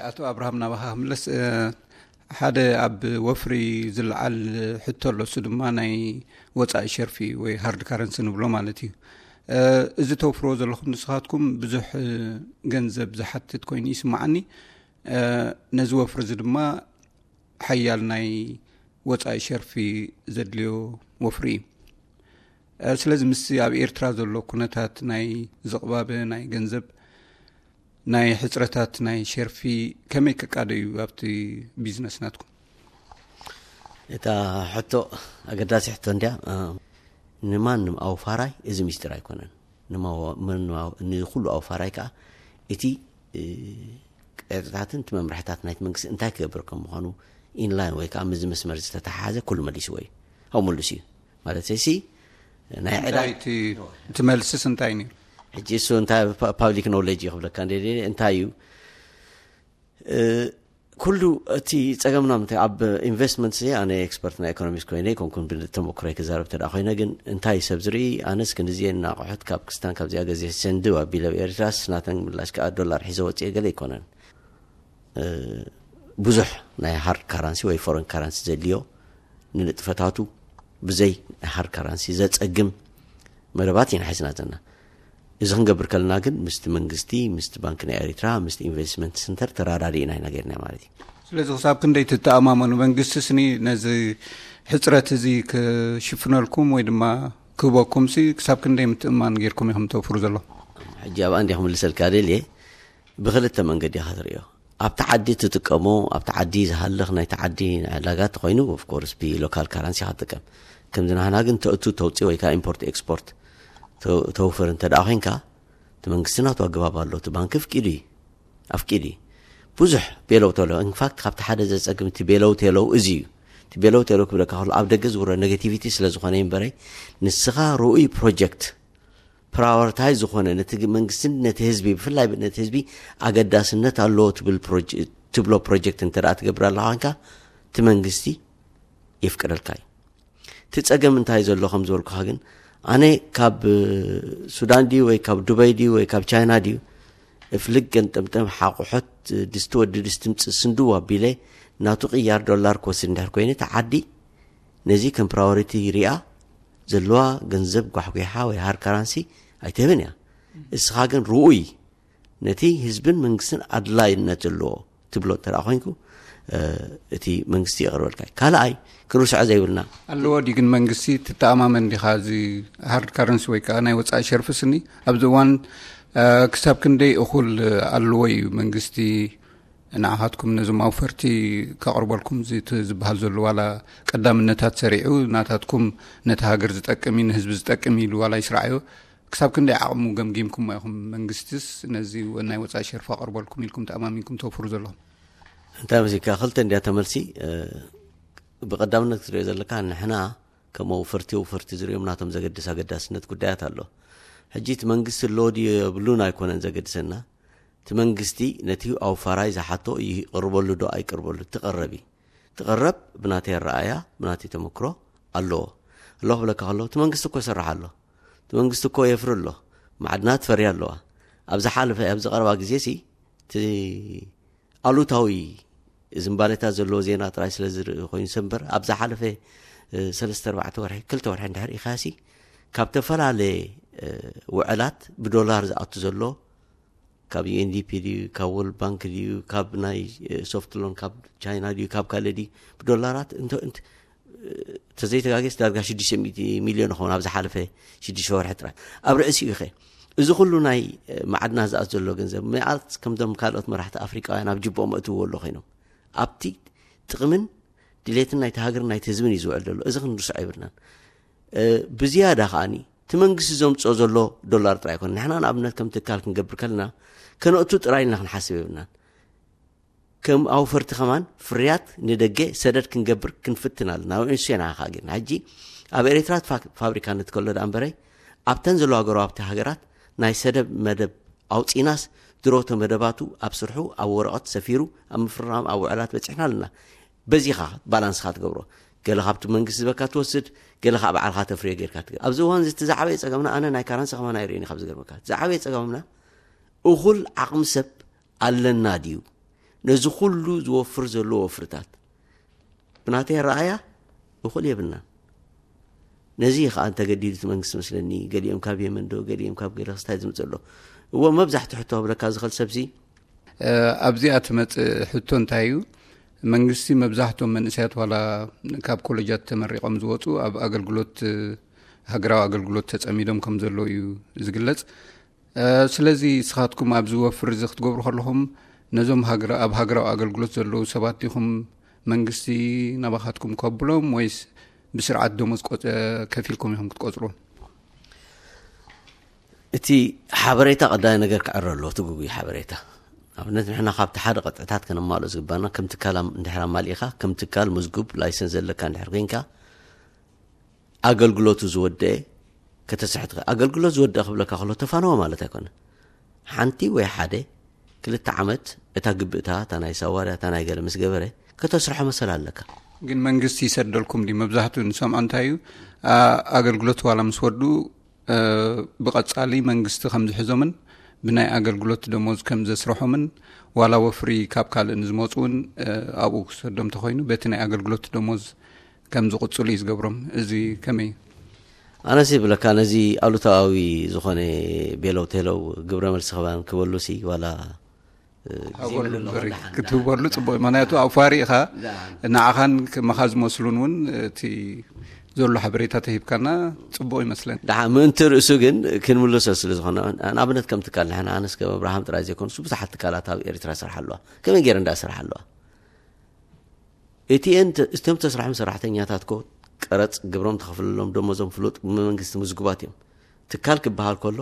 ኣቶ ኣብርሃም፣ ናባኻ ክምለስ። ሓደ ኣብ ወፍሪ ዝለዓል ሕቶ ኣሎ፣ እሱ ድማ ናይ ወፃኢ ሸርፊ ወይ ሃርድ ካረንሲ ንብሎ ማለት እዩ። እዚ ተውፍርዎ ዘለኹም ንስኻትኩም ብዙሕ ገንዘብ ዝሓትት ኮይኑ ይስምዓኒ። ነዚ ወፍሪ እዚ ድማ ሓያል ናይ ወፃኢ ሸርፊ ዘድልዮ ወፍሪ እዩ። ስለዚ ምስ ኣብ ኤርትራ ዘሎ ኩነታት ናይ ዝቕባበ ናይ ገንዘብ ናይ ሕፅረታት ናይ ሸርፊ ከመይ ከቃደ እዩ ኣብቲ ቢዝነስ ናትኩም? እታ ሕቶ ኣገዳሲ ሕቶ እንድያ። ንማንም ኣውፋራይ እዚ ሚስጢር ኣይኮነን። ንማው- ንማው- ንኩሉ ኣውፋራይ ከዓ እቲ ቀጥታትን እቲ መምርሕታት ናይቲ መንግስቲ እንታይ ክገብር ከም ምዃኑ ኢንላይን ወይ ከዓ ምዚ መስመር ዝተተሓሓዘ ኩሉ መሊስዎ እዩ። ኣብኡ መሉስ እዩ ማለት ሲ ናይ ዕዳ እቲ መልስስ እንታይ ነይሩ? ሕጂ እሱ እንታይ ፓብሊክ ኖሌጅ እዩ ክብለካ እንደ እንታይ እዩ ኩሉ እቲ ፀገምና ምንታይ ኣብ ኢንቨስትመንት ሲ ኣነ ኤክስፐርት ናይ ኢኮኖሚስት ኮይነ ኮንኩን ብተመክሮይ ክዛረብ ተዳ ኮይነ ግን እንታይ ሰብ ዝርኢ ኣነስ ክንድዚየ እናቆሑት ካብ ክስታን ካብዚኣ ገዜ ሰንድው ኣቢለ ኤርትራስ ናተን ምላሽ ከዓ ዶላር ሒዘ ወፅኤ ገለ ኣይኮነን። ብዙሕ ናይ ሃርድ ካራንሲ ወይ ፎረን ካራንሲ ዘድልዮ ንንጥፈታቱ ብዘይ ሃርድ ካራንሲ ዘፀግም መደባት ኢና ሒዝና ዘለና። እዚ ክንገብር ከለና ግን ምስቲ መንግስቲ ምስቲ ባንክ ናይ ኤሪትራ ምስቲ ኢንቨስትመንት ሰንተር ተራዳዲእና ኢና ጌርና ማለት እዩ። ስለዚ ክሳብ ክንደይ ትተኣማመኑ? መንግስቲ ስኒ ነዚ ሕፅረት እዚ ክሽፍነልኩም ወይ ድማ ክህበኩም ሲ ክሳብ ክንደይ ምትእማን ጌርኩም ኢኹም ተውፍሩ ዘሎ? ሕጂ ኣብኣ እንዲኹም ልሰልካ ደልየ ብክልተ መንገዲ ኢኻ ትርእዮ። ኣብቲ ዓዲ ትጥቀሞ ኣብቲ ዓዲ ዝሃልኽ ናይቲ ዓዲ ዕዳጋ ተኮይኑ ኦፍኮርስ ብሎካል ካረንሲ ኢኻ ትጥቀም። ከምዚ ናህና ግን ተእቱ ተውፅእ ወይ ከዓ ኢምፖርት ኤክስፖርት ተውፍር እንተ ደኣ ኮይንካ እቲ መንግስቲ ናቱ ኣገባብ ኣሎ። እቲ ባንክ ፍቂዱ እዩ ኣፍቂዱ እዩ። ብዙሕ ቤለው ተሎ ኢንፋክት ካብቲ ሓደ ዘፀግም እቲ ቤለው ቴለው እዚ እዩ። እቲ ቤለው ቴለው ክብለካ ከሎ ኣብ ደገ ዝውረ ኔጌቲቪቲ ስለ ዝኾነ እምበረይ ንስኻ ርኡይ ፕሮጀክት ፕራዮሪታይ ዝኾነ ነቲ መንግስትን ነቲ ህዝቢ ብፍላይ ነቲ ህዝቢ ኣገዳስነት ኣለዎ ትብል ትብሎ ፕሮጀክት እንተ ትገብር ኣለካ ኮንካ እቲ መንግስቲ የፍቅደልካ እዩ። እቲ ጸገም እንታይ ዘሎ ከም ዝበልኩኻ ግን ኣነ ካብ ሱዳን ድዩ ወይ ካብ ዱበይ ድዩ ወይ ካብ ቻይና ድዩ እፍልግ ገንጠምጠም ሓቑሖት ድስቲ ወዲ ድስቲ ምጽእ ስንድው ኣቢለ ናቱ ቅያር ዶላር ክወስድ እንድሕር ኮይኑ እቲ ዓዲ ነዚ ከም ፕራዮሪቲ ሪኣ ዘለዋ ገንዘብ ጓሕጒሓ ወይ ሃርድ ካራንሲ ኣይትህብን እያ። እስኻ ግን ርኡይ ነቲ ህዝብን መንግስትን ኣድላይነት ዘለዎ ትብሎ እንተ ኮይንኩ እቲ መንግስቲ የቕርበልካ እዩ። ካልኣይ ክንርስዖ ዘይብልና ኣለዎ ድዩ ግን መንግስቲ ትተኣማመን ዲኻ? እዚ ሃርድ ካረንሲ ወይ ከዓ ናይ ወፃኢ ሸርፊ ስኒ ኣብዚ እዋን ክሳብ ክንደይ እኹል ኣለዎ እዩ መንግስቲ ንዓኻትኩም ነዞም ኣውፈርቲ ከቕርበልኩም ዝበሃል ዘሎ ዋላ ቀዳምነታት ሰሪዑ ናታትኩም ነቲ ሃገር ዝጠቅም እዩ ንህዝቢ ዝጠቅም ኢሉ ዋላ ይስራዓዮ ክሳብ ክንደይ ዓቕሙ ገምጊምኩሞ ኢኹም? መንግስትስ ነዚ ናይ ወፃኢ ሸርፊ ኣቕርበልኩም ኢልኩም ተኣማሚንኩም ተወፍሩ ዘለኹም? እንታይ መሲልካ ክልተ እንድያ ተመልሲ። ብቀዳምነት ክትሪኦ ዘለካ ንሕና ከም ኣውፈርቲ ኣውፈርቲ ዝሪኦም ናቶም ዘገድስ ኣገዳስነት ጉዳያት ኣሎ። ሕጂ እቲ መንግስቲ ኣሎ ድዩ የብሉን ኣይኮነን ዘገድሰና። እቲ መንግስቲ ነቲ ኣውፋራይ ዝሓቶ ይቕርበሉ ዶ ኣይቅርበሉ ትቐረብ እዩ። ትቐረብ ብናተይ ኣረኣያ ብናተይ ተመክሮ ኣለዎ። ኣለዎ ክብለካ ከሎ እቲ መንግስቲ እኮ ይሰርሕ ኣሎ። እቲ መንግስቲ እኮ የፍሪ ኣሎ። ማዕድናት ፈርያ ኣለዋ። ኣብ ዝሓለፈ ኣብ ዝቐረባ ግዜ ሲ እቲ ኣሉታዊ ዝምባሌታት ዘለዎ ዜና ጥራይ ስለ ዝርኢ ኮይኑ ሰምበር ኣብ ዝሓለፈ ሰለስተ ኣርባዕተ ወርሒ ክልተ ወርሒ እንድሕር ኢኻሲ ካብ ተፈላለየ ውዕላት ብዶላር ዝኣቱ ዘሎ ካብ ዩኤንዲፒ ድዩ ካብ ወርልድ ባንክ ድዩ ካብ ናይ ሶፍት ሎን ካብ ቻይና ድዩ ካብ ካልእ ድዩ ብዶላራት እንተ እንተ ተዘይተጋገስ ዳርጋ ሽዱሽተ ሚእቲ ሚልዮን ይኸውን ኣብ ዝሓለፈ ሽዱሽተ ወርሒ ጥራይ ኣብ ርእሲኡ ኢኸ እዚ ኩሉ ናይ ማዕድናት ዝኣት ዘሎ ገንዘብ ምኣት ከምዞም ካልኦት መራሕቲ ኣፍሪቃውያን ኣብ ጅቦኦም ኣእትውዎ ኣሎ ኮይኖም ኣብቲ ጥቕምን ድሌትን ናይቲ ሃገርን ናይቲ ህዝብን እዩ ዝውዕል ዘሎ። እዚ ክንርስዖ ይብልናን ብዝያዳ ከዓኒ እቲ መንግስቲ ዘምፅኦ ዘሎ ዶላር ጥራይ ኣይኮነ ንሕና ንኣብነት ከም ትካል ክንገብር ከለና ከነእቱ ጥራይ ኢልና ክንሓስብ የብልናን። ከም ኣውፈርቲ ከማን ፍርያት ንደገ ሰደድ ክንገብር ክንፍትን ኣለና። ንሱ ኢና ከኣ ግን ሕጂ ኣብ ኤርትራ ፋብሪካ ንትከሎ ዳ እምበረይ ኣብተን ዘለዋ ጎረባብቲ ሃገራት ናይ ሰደብ መደብ ኣውፂናስ ድሮቶ መደባቱ ኣብ ስርሑ ኣብ ወረቐት ሰፊሩ ኣብ ምፍርራም ኣብ ውዕላት በፂሕና ኣለና። በዚኻ ባላንስኻ ትገብሮ ገለ ካብቲ መንግስቲ ዝበካ ትወስድ ገለ ካብ ባዕልካ ተፍርዮ ጌርካ ትገብር። ኣብዚ እዋን እዚ ዝዓበየ ፀገምና ኣነ ናይ ካራንሲ ከማን ኣይርእን ካብ ዝገርመካ ዝዓበየ ፀገምና እኹል ዓቕሚ ሰብ ኣለና ድዩ? ነዚ ኩሉ ዝወፍር ዘሎ ወፍርታት ብናተይ ኣረኣያ እኹል የብልናን። ነዚ እዩ ከዓ እንተገዲዱ እቲ መንግስቲ መስለኒ፣ ገሊኦም ካብ የመን ዶ፣ ገሊኦም ካብ ገለ ክስታይ ዝምፅእ ኣሎ። እዎ፣ መብዛሕትኡ ሕቶ ክብለካ ዝኽእል ሰብሲ ኣብዚኣ ትመጽእ ሕቶ እንታይ እዩ? መንግስቲ መብዛሕትኦም መንእሰያት ዋላ ካብ ኮሌጃት ተመሪቖም ዝወጹ ኣብ ኣገልግሎት፣ ሃገራዊ ኣገልግሎት ተጸሚዶም ከም ዘለዉ እዩ ዝግለጽ። ስለዚ ንስኻትኩም ኣብዚ ወፍሪ እዚ ክትገብሩ ከለኹም ነዞም ኣብ ሃገራዊ ኣገልግሎት ዘለዉ ሰባት ዲኹም መንግስቲ ናባኻትኩም ከብሎም ወይስ ብስርዓት ደሞዝ ከፊልኩም ኢኹም ክትቆጽርዎም? እቲ ሓበሬታ ቀዳይ ነገር ክዕረ ኣለዎ፣ እቲ ግጉይ ሓበሬታ። ኣብነት ንሕና ካብቲ ሓደ ቅጥዕታት ከነማልኦ ዝግባና፣ ከም ትካል እንድሕር ኣማሊእኻ፣ ከም ትካል ምዝጉብ ላይሰንስ ዘለካ እንድሕር ኮይንካ፣ ኣገልግሎቱ ዝወደአ ከተስርሕ ትኽእል። ኣገልግሎት ዝወደአ ክብለካ ከሎ ተፋነወ ማለት ኣይኮነ። ሓንቲ ወይ ሓደ ክልተ ዓመት እታ ግብእታ፣ እታ ናይ ሳዋርያ፣ እታ ናይ ገለ ምስ ገበረ፣ ከተስርሖ መሰል ኣለካ። ግን መንግስቲ ይሰደልኩም ድዩ? መብዛሕትኡ ንሰምዖ እንታይ እዩ፣ ኣገልግሎት ዋላ ምስ ወዱ ብቐጻሊ መንግስቲ ከም ዝሕዞምን ብናይ ኣገልግሎት ደሞዝ ከም ዘስርሖምን ዋላ ወፍሪ ካብ ካልእ ንዝመፁ እውን ኣብኡ ክሰዶም ተኮይኑ በቲ ናይ ኣገልግሎት ደሞዝ ከም ዝቕፅሉ እዩ ዝገብሮም። እዚ ከመይ እዩ? ኣነሲ ብለካ ነዚ ኣሉታዊ ዝኾነ ቤለው ቴለው ግብረ መልሲ ክባን ክበሉ ሲ ዋላ ክትህበሉ ጽቡቅ እዩ። ምክንያቱ ኣብ ፋሪ ኢኻ ንዓኻን ክመኻ ዝመስሉን እውን እቲ ዘሎ ሓበሬታ ተሂብካና ጽቡቅ ይመስለኒ። ድሓ ምእንቲ ርእሱ ግን ክንምልሶ ስለ ዝኾነ፣ ንኣብነት ከም ትካል ንሕና ኣነስ ከም ኣብርሃም ጥራይ ዘይኮኑስ ብዙሓት ትካላት ኣብ ኤርትራ ይሰርሓ ኣለዋ። ከመይ ገይረ እንዳ ሰርሓ ኣለዋ? እቲኤን እቶም ተስራሕም ሰራሕተኛታት ኮ ቀረጽ ግብሮም ተኸፍለሎም ደሞዞም ፍሉጥ ብመንግስቲ ምዝጉባት እዮም። ትካል ክበሃል ከሎ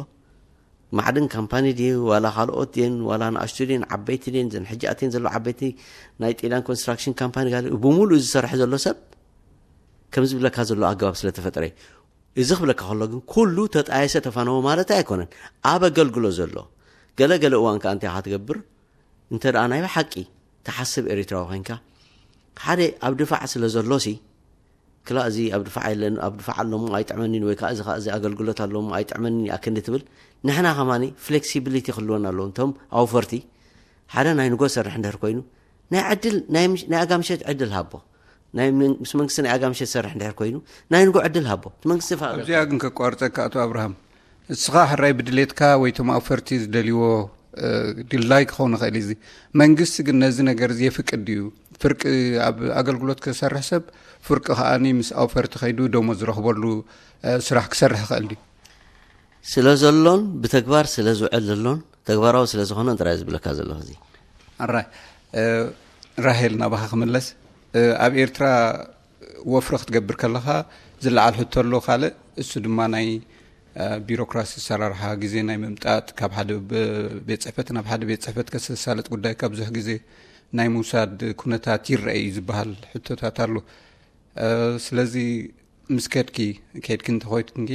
ማዕድን ካምፓኒ ድዩ ዋላ ካልኦት ድየን ዋላ ንኣሽቱ ድየን ዓበይቲ ድየን ዘን ሕጂ ኣትየን ዘሎ ዓበይቲ ናይ ጢልያን ኮንስትራክሽን ካምፓኒ ጋር ብምሉእ ዝሰርሕ ዘሎ ሰብ ከም ዝብለካ ዘሎ ኣገባብ ስለ ተፈጥረ እዩ። እዚ ክብለካ ከሎ ግን ኩሉ ተጣየሰ ተፋነወ ማለት ኣይኮነን። ኣብ ኣገልግሎ ዘሎ ገለ ገለ እዋን ከኣ እንታይ ኢኻ ትገብር? እንተ ደኣ ናይ ብሓቂ ትሓስብ ኤሪትራዊ ኮይንካ ሓደ ኣብ ድፋዕ ስለ ዘሎ ሲ ክላ እዚ ኣብ ድፋዕ የለን ኣብ ድፋዕ ኣሎ እሞ ኣይጥዕመኒን ወይ ከዓ እዚ ከዓ እዚ ኣገልግሎት ኣሎ እሞ ኣይጥዕመኒን ይኣክል ትብል። ንሕና ከማኒ ፍሌክሲቢሊቲ ክህልወና ኣለዎ። እንቶም ኣውፈርቲ ሓደ ናይ ንጎ ሰርሕ እንድሕር ኮይኑ ናይ ዕድል ናይ ኣጋምሸት ዕድል ሃቦ ናይ ምስ መንግስቲ ናይ ኣጋምሸት ሰርሕ እንድሕር ኮይኑ ናይ ንጎ ዕድል ሃቦ እቲ መንግስቲ ፋ ኣብዚኣ ግን ከቋርፀካ ኣቶ ኣብርሃም፣ እስኻ ሕራይ ብድሌትካ ወይ ቶም ኣውፈርቲ ዝደልይዎ ድላይ ክኸውን ይኽእል እዚ መንግስቲ ግን ነዚ ነገር እዚ የፍቅድ ድዩ? ፍርቂ ኣብ ኣገልግሎት ክሰርሕ ሰብ ፍርቂ ከኣኒ ምስ ኣውፈርቲ ከይዱ ደሞ ዝረኽበሉ ስራሕ ክሰርሕ ይኽእል ድዩ? ስለ ዘሎን ብተግባር ስለ ዝውዕል ዘሎን ተግባራዊ ስለ ዝኾነን ጥራይ ዝብለካ ዘለኹ እዚ። ኣራይ ራሄል ናባኻ ክምለስ። ኣብ ኤርትራ ወፍሪ ክትገብር ከለኻ ዝለዓል ሕቶ ኣሎ ካልእ፣ እሱ ድማ ናይ ቢሮክራሲ ኣሰራርሓ ግዜ ናይ ምምጣጥ ካብ ሓደ ቤት ፅሕፈት ናብ ሓደ ቤት ፅሕፈት ከሰሳለጥ ጉዳይ ካብ ብዙሕ ግዜ ናይ ምውሳድ ኩነታት ይረአ እዩ ዝበሃል ሕቶታት ኣሎ። ስለዚ ምስ ከድኪ ከድኪ እንተኮይትንኪ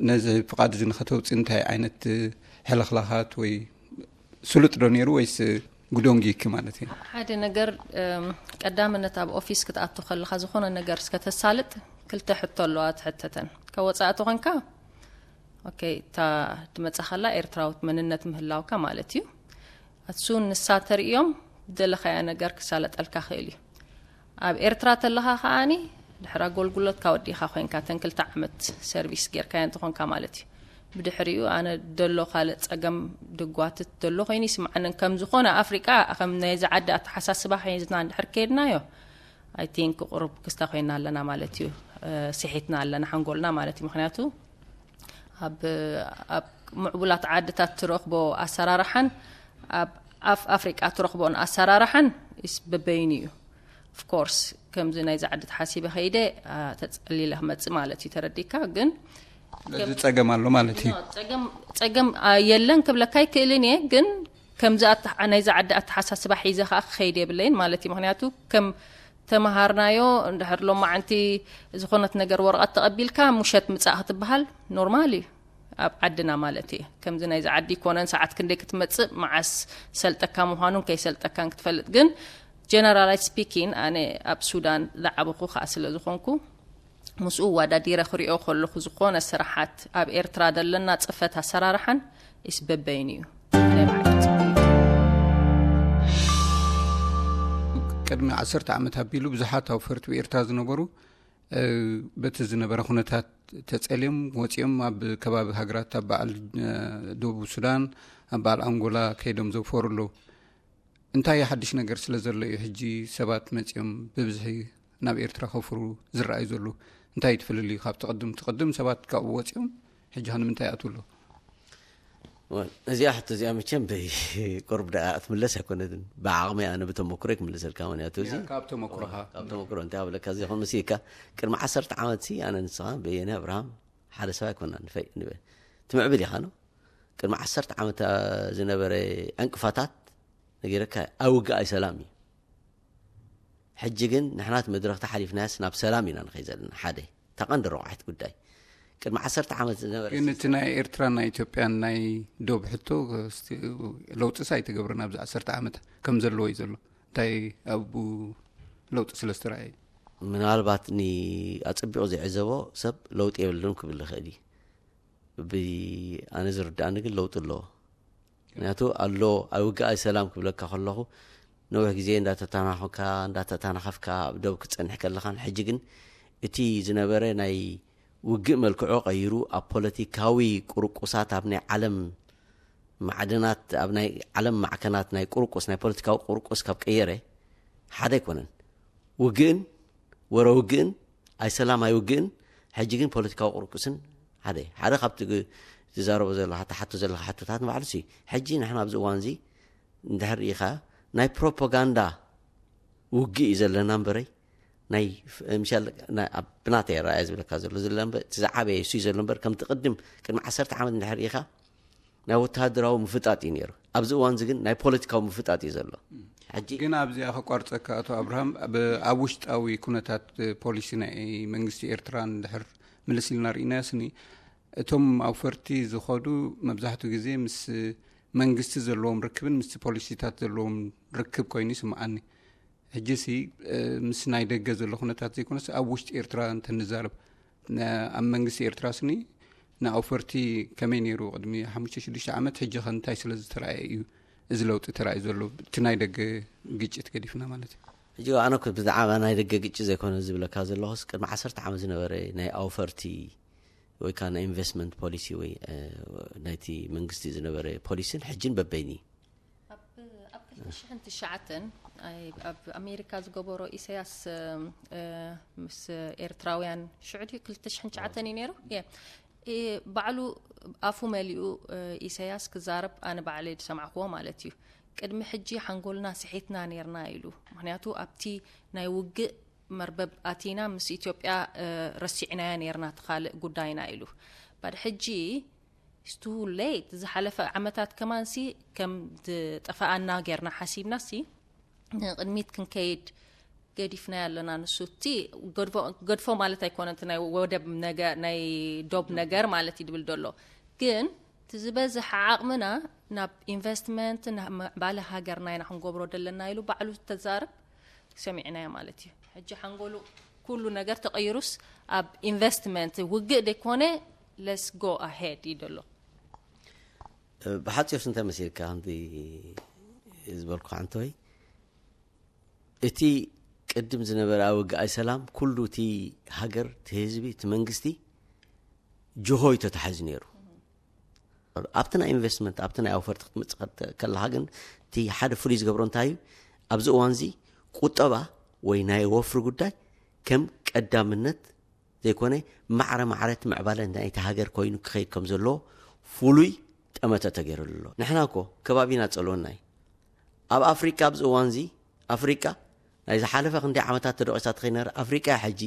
ነዚ ፍቓድ እዚ ንኸተውፅእ እንታይ ዓይነት ሕልኽላኻት ወይ ስሉጥ ዶ ነይሩ ወይስ ጉዶንጊኪ ማለት እዩ? ሓደ ነገር ቀዳምነት ኣብ ኦፊስ ክትኣቱ ከለኻ ዝኾነ ነገር እስከተሳልጥ ክልተ ሕቶ ኣለዋ ትሕተተን። ከወፃእቲ ኮንካ ኦኬ እታ ትመፃኸላ ኤርትራዊት መንነት ምህላውካ ማለት እዩ። ኣሱ ንሳ ተርእዮም ዝደለኻያ ነገር ክሳለጠልካ ክእል እዩ። ኣብ ኤርትራ ተለኻ ከዓኒ ድሕሪ ኣገልግሎትካ ወዲኻ ኮይንካ ተን ክልተ ዓመት ሰርቪስ ጌርካዮ እንተኾንካ ማለት እዩ። ብድሕሪኡ ኣነ ደሎ ካልእ ጸገም ድጓትት ደሎ ኮይኑ ይስምዓንን ከም ዝኾነ ኣፍሪቃ ከም ናይዚ ዓዲ ኣተሓሳስባ ሒዝና እንድሕር ከይድናዮ ኣይ ቲንክ ቁሩብ ክስታ ኮይና ኣለና ማለት እዩ። ስሒትና ኣለና ሓንጎልና ማለት እዩ። ምክንያቱ ኣብ ኣብ ምዕቡላት ዓድታት ትረኽቦ ኣሰራርሓን ኣብ ኣፍ ኣፍሪቃ ትረኽቦን ኣሰራርሓን ስ በበይኑ እዩ። ኦፍኮርስ ከምዚ ናይዚ ዓዲ ተሓሲበ ከይደ ተፀሊለ ክመፅእ ማለት እዩ። ተረዲካ ግን እዚ ጸገም ኣሎ ማለት እዩ። ጸገም የለን ክብለካ ኣይክእልን እየ። ግን ከምዚ ናይዚ ዓዲ ኣተሓሳስባ ሒዘ ከዓ ክኸይድ የብለይን ማለት እዩ። ምክንያቱ ከም ተመሃርናዮ እንድሕር ሎማዓንቲ ዝኾነት ነገር ወረቐት ተቐቢልካ ሙሸት ምጻእ ክትበሃል ኖርማል እዩ ኣብ ዓድና ማለት እየ። ከምዚ ናይዚ ዓዲ ይኮነን ሰዓት ክንደይ ክትመጽእ መዓስ ሰልጠካ ምዃኑን ከይሰልጠካን ክትፈልጥ። ግን ጀነራላይዝ ስፒኪን ኣነ ኣብ ሱዳን ዝዓበኹ ከዓ ስለ ዝኾንኩ ምስኡ ዋዳዲረ ክሪኦ ከለኹ ዝኾነ ስራሓት ኣብ ኤርትራ ዘለና ጽፈት ኣሰራርሓን ኢስ በበይኑ እዩ ናይ ባዕሉ ጽቡቅ እዩ። ቅድሚ ዓሰርተ ዓመት ኣቢሉ ብዙሓት ኣውፈርቲ ብኤርትራ ዝነበሩ፣ እ፣ በቲ ዝነበረ ኩነታት ተጸልዮም ወጺኦም ኣብ ከባቢ ሃገራት፣ ኣብ በዓል፣ እ፣ ደቡብ ሱዳን፣ ኣብ በዓል ኣንጎላ ከይዶም ዘውፈሩ ኣለዉ። እንታይ ሓድሽ ነገር ስለ ዘሎ እዩ ሕጂ ሰባት መጺኦም ብብዝሒ ናብ ኤርትራ ከውፍሩ ዝረኣዩ ዘለዉ? እንታይ እዩ እቲ ፍልልዩ ካብቲ ቅድም? እቲ ቅድም ሰባት ካብኡ ወጺኦም ሕጂ ከ ንምንታይ ይኣትዉ ኣለዉ? ወል፣ እዚኣ ሕቶ እዚኣ መቸም ብይ ቁርብ ደኣ ክትምለስ ኣይኮነትን። ብዓቕሚ ኣነ ብተመክሮ ክምልሰልካ፣ ምክንያቱ እዚ ያ፣ ካብ ተመክሮኻ። ካብ ተመክሮ እንታይ ኣብለካ፣ እዚ ኹን ምስካ ቅድሚ ዓሰርተ ዓመት ሲ ኣነ ንስኻ በየነ ኣብርሃም ሓደ ሰብ ኣይኮና ንፈይ ንበ ትምዕብል ኢኻ ነው። ቅድሚ ዓሰርተ ዓመት ዝነበረ ዕንቅፋታት ነጊረካ፣ ኣይውግእ ኣይሰላም እዩ። ሕጂ ግን ንሕና እቲ መድረኽ ተሓሊፍናያስ ናብ ሰላም ኢና ንኸይ ዘለና። ሓደ እታ ቀንዲ ረቋሒት ጉዳይ ቅድሚ ዓሰርተ ዓመት ዝነበረ ግን እቲ ናይ ኤርትራን ናይ ኢትዮጵያን ናይ ዶብ ሕቶ፣ እስቲ፣ ለውጥስ ኣይተገብረን ኣብዚ ዓሰርተ ዓመት ከም ዘለዎ እዩ ዘሎ። እንታይ ኣብኡ ለውጢ ስለ ዝተረኣየ? ምናልባት ኒ ኣጸቢቑ ዘይዕዘቦ ሰብ ለውጢ የብሉን ክብል ይኽእል እዩ። ብ-፣ ኣነ ዝርድኣኒ ግን ለውጢ ኣለዎ። ምክንያቱ ኣሎ፣ ኣይውግእ ኣይሰላም ክብለካ ከለኹ ነዊሕ ግዜ እንዳተተናኸፍካ እንዳተተናኸፍካ ኣብ ደብ ክትጸንሕ ከለኻን፣ ሕጂ ግን እቲ ዝነበረ ናይ ውግእ መልክዑ ቀይሩ ኣብ ፖለቲካዊ ቁርቁሳት፣ ኣብ ናይ ዓለም ማዕድናት፣ ኣብ ናይ ዓለም ማዕከናት ናይ ቁርቁስ፣ ናይ ፖለቲካዊ ቁርቁስ ካብ ቀየረ ሓደ ኣይኮነን። ውግእን ወረ ውግእን፣ ኣይሰላም ኣይውግእን፣ ሕጂ ግን ፖለቲካዊ ቁርቁስን ሓደ። ሓደ ካብቲ ግ-፣ ትዛረቦ ዘለኻ፣ ትሓቶ ዘለኻ ሕቶታት ንባዕሉ ሲ፣ ሕጂ ንሕና ኣብዚ እዋን እዚ እንድሕር ኢኻ ናይ ፕሮፓጋንዳ ውግእ እዩ ዘለና እምበረይ፣ ናይ ፍ-፣ ምሻል ናይ ኣብ ብናተይ ኣረኣእያ ዝብለካ ዘሎ፣ ዝለ እምበር፣ እቲ ዝዓበየ እሱ እዩ ዘሎ እምበር፣ ከምቲ ቅድም ቅድሚ ዓሰርተ ዓመት እንድሕር ኢኻ ናይ ወተሃደራዊ ምፍጣጥ እዩ ነይሩ። ኣብዚ እዋን እዚ ግን ናይ ፖለቲካዊ ምፍጣጥ እዩ ዘሎ። ሕጂ ግን ኣብዚኣ ከቋርጸካ፣ ኣቶ ኣብርሃም፣ ኣብ፣ ኣብ ውሽጣዊ ኩነታት ፖሊሲ ናይ መንግስቲ ኤርትራ እንድሕር ምልስ ኢልና ርኢናዮ ስኒ፣ እቶም ኣውፈርቲ ዝኸዱ መብዛሕትኡ ግዜ ምስ መንግስቲ ዘለዎም ርክብን ምስቲ ፖሊሲታት ዘለዎም ርክብ ኮይኑ ይስምዓኒ። ሕጂ ሲ፣ እ፣ ምስ ናይ ደገ ዘሎ ኩነታት ዘይኮነስ ኣብ ውሽጢ ኤርትራ እንተንዛረብ፣ ነ-፣ ኣብ መንግስቲ ኤርትራ ስኒ ንኣውፈርቲ ከመይ ነይሩ ቅድሚ ሓሙሽተ ሽዱሽተ ዓመት፣ ሕጂ ከ እንታይ ስለ ዝተረኣየ እዩ እዚ ለውጢ ተራእዩ ዘሎ? እቲ ናይ ደገ ግጭት ገዲፍና ማለት እዩ። ሕጂ ኣነ እኮ ብዛዕባ ናይ ደገ ግጭት ዘይኮነ ዝብለካ ዘለኹስ፣ ቅድሚ ዓሰርተ ዓመት ዝነበረ ናይ ኣውፈርቲ ወይ ከዓ ናይ ኢንቨስትመንት ፖሊሲ ወይ፣ እ፣ ናይቲ መንግስቲ ዝነበረ ፖሊሲን ሕጅን በበይኒ። ኣብ ኣብ ክልተ ሽሕን ትሽዓተን፣ ኣይ፣ ኣብ ኣሜሪካ ዝገበሮ ኢሳያስ፣ እ፣ ምስ ኤርትራውያን ሽዑ ድዩ ክልተ ሽሕን ትሽዓተን እዩ ነይሩ? የ። እ፣ ባዕሉ ኣፉ መሊኡ፣ እ፣ ኢሳያስ ክዛረብ ኣነ ባዕለይ ዝሰማዕክዎ ማለት እዩ። ቅድሚ ሕጂ ሓንጎልና ስሒትና ነይርና ኢሉ። ምክንያቱ ኣብቲ ናይ ውግእ መርበብ ኣቲና ምስ ኢትዮጵያ፣ እ፣ ረሲዕናያ ነይርና፣ እቲ ካልእ ጉዳይና ኢሉ። ባድ ሕጂ it's too late። ዝሓለፈ ዓመታት ከማንሲ ከም ዝጠፋኣና ጌርና ሓሲብናሲ ንቕድሚት ክንከይድ ገዲፍናዮ ኣለና። ንሱ እቲ ገድፎ፣ ገድፎ ማለት ኣይኮነን፣ እቲ ናይ ወደብ ነገ-፣ ናይ ዶብ ነገር ማለት እዩ ድብል ደሎ። ግን እቲ ዝበዝሐ ዓቕምና ናብ ኢንቨስትመንት፣ ናብ ምዕባለ ሃገርና ኢና ክንገብሮ ደለና ኢሉ ባዕሉ ተዛርብ ሰሚዕናዮ ማለት እዩ። ሕጂ ሓንጎሉ ኩሉ ነገር ተቐይሩስ ኣብ ኢንቨስትመንት ውግእ ደይኮነ let's go ahead እዩ ደሎ። ብሓፂር እንታይ መሲልካ ከምቲ ዝበልኩ ሓንተወይ፣ እቲ ቅድም ዝነበረ ኣብ ውግኣይ ሰላም ኩሉ እቲ ሃገር፣ እቲ ህዝቢ፣ እቲ መንግስቲ ጅሆ እዩ ተታሒዙ ነይሩ። ኣብቲ ናይ ኢንቨስትመንት፣ ኣብቲ ናይ ኣውፈርቲ ክትመጽእ ከለኻ ግን እቲ ሓደ ፍሉይ ዝገብሮ እንታይ እዩ? ኣብዚ እዋን እዚ ቁጠባ ወይ ናይ ወፍሪ ጉዳይ ከም ቀዳምነት ዘይኮነ ማዕረ ማዕረ እቲ ምዕባለ ናይቲ ሃገር ኮይኑ ክኸይድ ከም ዘለዎ ፍሉይ ጠመተ ተገይሩሉ ኣሎ። ንሕና እኮ ከባቢና ጸልወና እዩ። ኣብ ኣፍሪቃ ኣብዚ እዋን እዚ ኣፍሪቃ ናይ ዝሓለፈ ክንደይ ዓመታት ተደቂሳ ትኸይድ ነይራ። ኣፍሪቃ እያ ሕጂ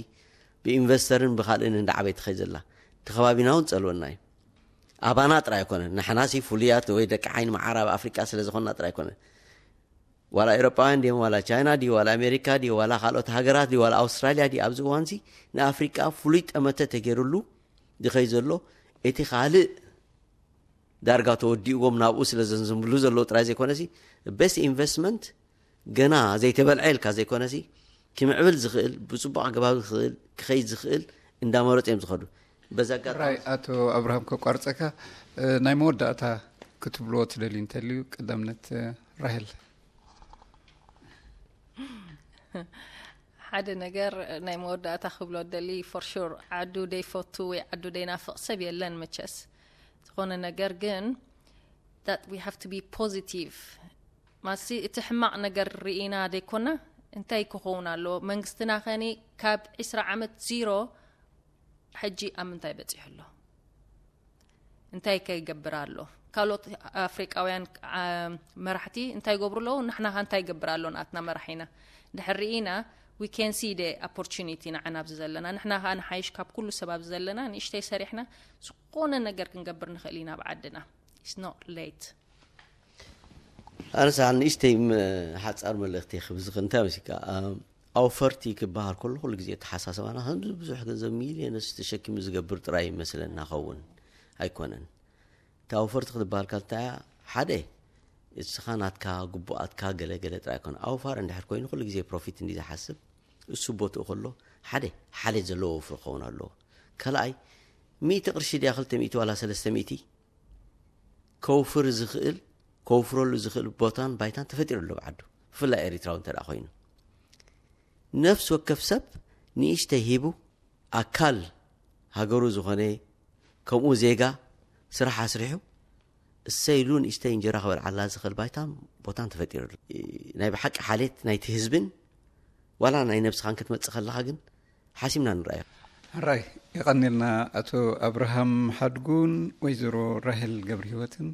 ብኢንቨስተርን ብኻልእን እንዳዓበይ ትኸይድ ዘላ። እቲ ከባቢና እውን ጸልወና እዩ። ኣባና ጥራይ ኣይኮነን። ንሕናሲ ፍሉያት ወይ ደቂ ዓይኒ መዓር ኣብ ኣፍሪቃ ስለ ዝኾንና ጥራይ ኣይኮነን። ዋላ ኤውሮጳውያን ድዮም፣ ዋላ ቻይና ድዩ፣ ዋላ ኣሜሪካ ድዩ፣ ዋላ ካልኦት ሃገራት ድዩ፣ ዋላ ኣውስትራልያ ድዩ፣ ኣብዚ እዋንዚ ንኣፍሪቃ ፍሉይ ጠመተ ተገይሩሉ ዝኸይ ዘሎ እቲ ካልእ ዳርጋ ተወዲእዎም ናብኡ ስለ ዘንዝምብሉ ዘለዉ ጥራይ ዘይኮነሲ፣ ቤስት ኢንቨስትመንት ገና ዘይተበልዐ ኢልካ ዘይኮነሲ፣ ክምዕብል ዝኽእል፣ ብጽቡቕ ኣገባብ ዝኽእል፣ ክኸይድ ዝኽእል እንዳመረጹ እዮም ዝኸዱ። በዚ ኣጋጣሚ ራይ፣ ኣቶ ኣብርሃም፣ ከቋርጸካ፣ እ፣ ናይ መወዳእታ ክትብልዎ ትደልዩ እንተልዩ፣ ቀዳምነት፣ እ፣ ራሄል። ሓደ ነገር ናይ መወዳእታ ክብሎ ደሊ፣ for sure ዓዱ ደይፈቱ ወይ ዓዱ ደይናፍቕ ሰብ የለን መቸስ። ዝኾነ ነገር ግን that we have to be positive። ማሲ እቲ ሕማቕ ነገር ርኢና ደይኮና እንታይ ክኸውን ኣሎ? መንግስትና ኸኒ ካብ ዕስራ ዓመት ዚሮ ሕጂ ኣብ ምንታይ በጺሑ ኣሎ? እንታይ ከይገብር ኣሎ? ካልኦት ኣፍሪቃውያን መራሕቲ እንታይ ይገብሩ ኣለዉ? ንሕና ከ እንታይ ይገብር ኣሎ? ንኣትና መራሒና ድሕር ርኢና we can see the opportunity ንዓና ኣብዚ ዘለና። ንሕና ከኣ ንሓይሽ ካብ ኩሉ ሰብ ኣብዚ ዘለና ንእሽተይ ሰሪሕና ዝኾነ ነገር ክንገብር ንኽእል ኢና ኣብ ዓድና። It's not late። ኣነሳ ንእሽተይ ሓፃር መልእክቲ ክብዝኽ እንታይ መሲካ ኣውፈርቲ ክበሃል ከሎ ኩሉ ግዜ ተሓሳሰባና ከምዚ ብዙሕ ገንዘብ ሚሊዮንስ ተሸኪሙ ዝገብር ጥራይ ይመስለና ኸውን ኣይኮነን። እቲ ኣውፈርቲ ክትበሃል ካልታ ሓደ እስኻ ናትካ ግቡኣትካ ገለ ገለ ጥራይ ኣይኮነ ኣውፋር እንድሕር ኮይኑ ኩሉ ግዜ ፕሮፊት እንዲ ዝሓስብ እሱ ቦትኡ ከሎ ሓደ ሓሌት ዘለዎ ወፍሪ ክኸውን ኣለዎ። ካልኣይ ሚእቲ ቅርሺ ድያ ክልተ ሚእቲ ዋላ ሰለስተ ሚእቲ ከውፍር ዝኽእል ከውፍረሉ ዝኽእል ቦታን ባይታን ተፈጢሩ ኣሎ ብዓዱ። ብፍላይ ኤሪትራዊ እንተ ኮይኑ ነፍሲ ወከፍ ሰብ ንእሽተይ ሂቡ ኣካል ሃገሩ ዝኾነ ከምኡ ዜጋ ስራሕ ኣስሪሑ እሰይ ኢሉ ንእሽተይ እንጀራ ክበልዓላ ዝኽእል ባይታን ቦታን ተፈጢሩ ኣሎ። ናይ ብሓቂ ሓሌት ናይቲ ህዝብን ዋላ ናይ ነብስኻን ክትመጽእ ከለኻ ግን ሓሲምና ንረኣዮ። ሕራይ የቐኒልና ኣቶ ኣብርሃም ሓድጉን ወይዘሮ ራሄል ገብረ ህይወትን።